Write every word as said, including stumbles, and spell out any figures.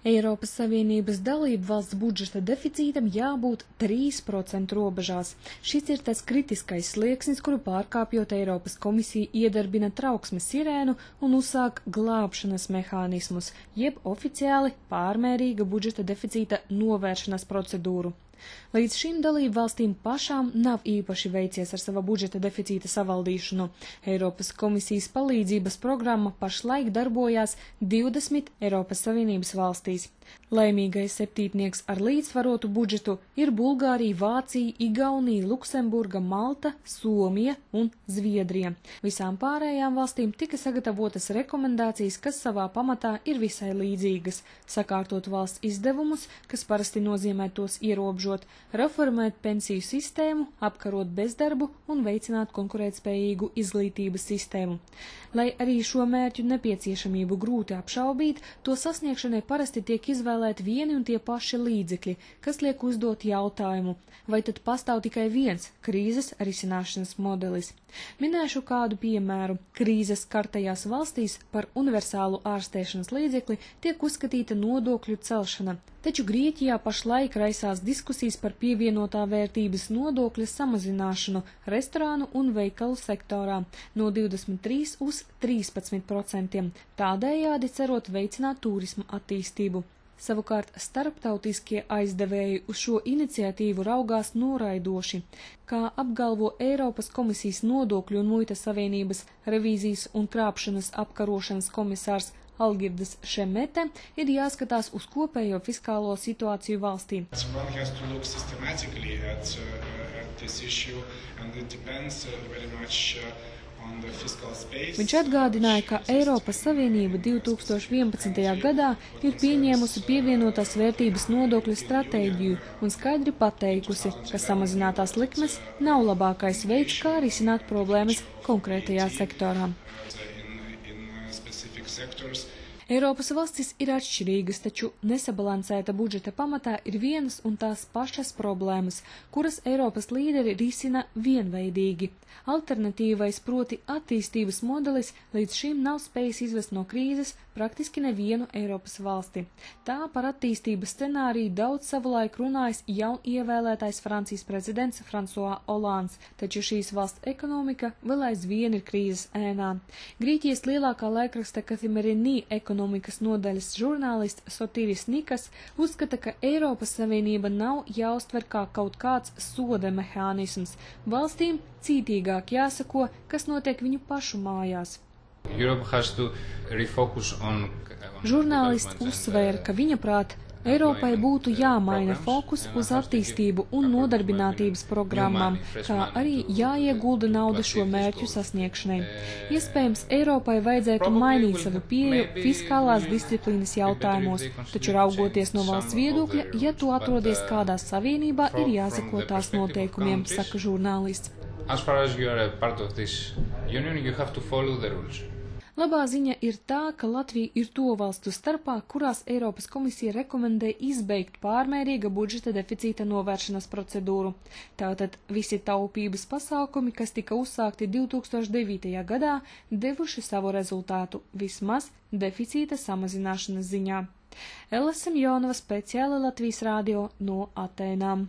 Eiropas Savienības dalību valsts budžeta deficītam jābūt trīs procentu robežās. Šis ir tas kritiskais slieksnis, kuru pārkāpjot Eiropas komisija iedarbina trauksmes sirēnu un uzsāk glābšanas mehānismus, jeb oficiāli pārmērīga budžeta deficīta novēršanas procedūru. Līdz šim dalību valstīm pašām nav īpaši veicies ar sava budžeta deficīta savaldīšanu. Eiropas komisijas palīdzības programma pašlaik darbojās divdesmit Eiropas Savienības valstīs. Laimīgais septītnieks ar līdzsvarotu budžetu ir Bulgārija, Vācija, Igaunija, Luksemburga, Malta, Somija un Zviedrija. Visām pārējām valstīm tika sagatavotas rekomendācijas, kas savā pamatā ir visai līdzīgas – sakārtot valsts izdevumus, kas parasti nozīmē tos ierobežot, reformēt pensiju sistēmu, apkarot bezdarbu un veicināt konkurētspējīgu izglītības sistēmu. Lai arī šo mērķu nepieciešamību grūti apšaubīt, to sasniegšanai parasti tiek izvēlēti vieni un tie paši līdzekļi, kas liek uzdot jautājumu, vai tad pastāv tikai viens krīzes risināšanas modelis. Minēšu kādu piemēru. Krīzes skartajās valstīs par universālu ārstēšanas līdzekli tiek uzskatīta nodokļu celšana, taču Grieķijā pašlaik raisās diskusijas par pievienotā vērtības nodokļa samazināšanu restorānu un veikalu sektorā no divdesmit trīs uz trīspadsmit procentiem, tādējādi cerot veicināt turisma attīstību. Savukārt starptautiskie aizdevēji uz šo iniciatīvu raugās noraidoši, kā apgalvo Eiropas komisijas nodokļu un muitas savienības revīzijas un krāpšanas apkarošanas komisārs Algirdas Šemete, ir jāskatās uz kopējo fiskālo situāciju valstī. Viņš atgādināja, ka Eiropas Savienība divi tūkstoši vienpadsmitajā gadā ir pieņēmusi pievienotās vērtības nodokļu stratēģiju un skaidri pateikusi, ka samazinātās likmes nav labākais veids, kā risināt problēmas konkrētajā sektorā. Eiropas valstis ir atšķirīgas, taču nesabalansēta budžeta pamatā ir vienas un tās pašas problēmas, kuras Eiropas līderi risina vienveidīgi. Alternatīvais, proti attīstības modelis, līdz šim nav spējis izvest no krīzes praktiski nevienu Eiropas valsti. Tā par attīstības scenāriju daudz savulaik runājis jau ievēlētais Francijas prezidents François Hollands, taču šīs valsts ekonomika vēl aizvien ir krīzes ēnā. Grieķijas lielākā laikraksta Kathimerini ekonomikas nodaļas žurnālists Sotiris Nikas uzskata, ka Eiropas Savienība nav jāuztver kā kaut kāds soda mehānisms. Valstīm cītīgāk jāsako, kas notiek viņu pašu mājās. Žurnālists uzsvēra, ka viņa prāt Eiropai būtu jāmaina fokus uz attīstību un nodarbinātības programmām, kā arī jāiegulda nauda šo mērķu sasniegšanai. Iespējams, Eiropai vajadzētu mainīt savu pieeju fiskālās disciplīnas jautājumos, taču raugoties no valsts viedokļa, ja tu atrodies kādā savienībā, ir jāsako tās noteikumiem, saka žurnālists. As far as you are a part of this union, you have to follow the rules. Labā ziņa ir tā, ka Latvija ir to valstu starpā, kurās Eiropas komisija rekomendē izbeigt pārmērīga budžeta deficīta novēršanas procedūru. Tātad visi taupības pasākumi, kas tika uzsākti divi tūkstoši devītajā gadā, devuši savu rezultātu, vismaz deficīta samazināšanas ziņā. Ella Semjonova, speciāli Latvijas radio no Atēnām.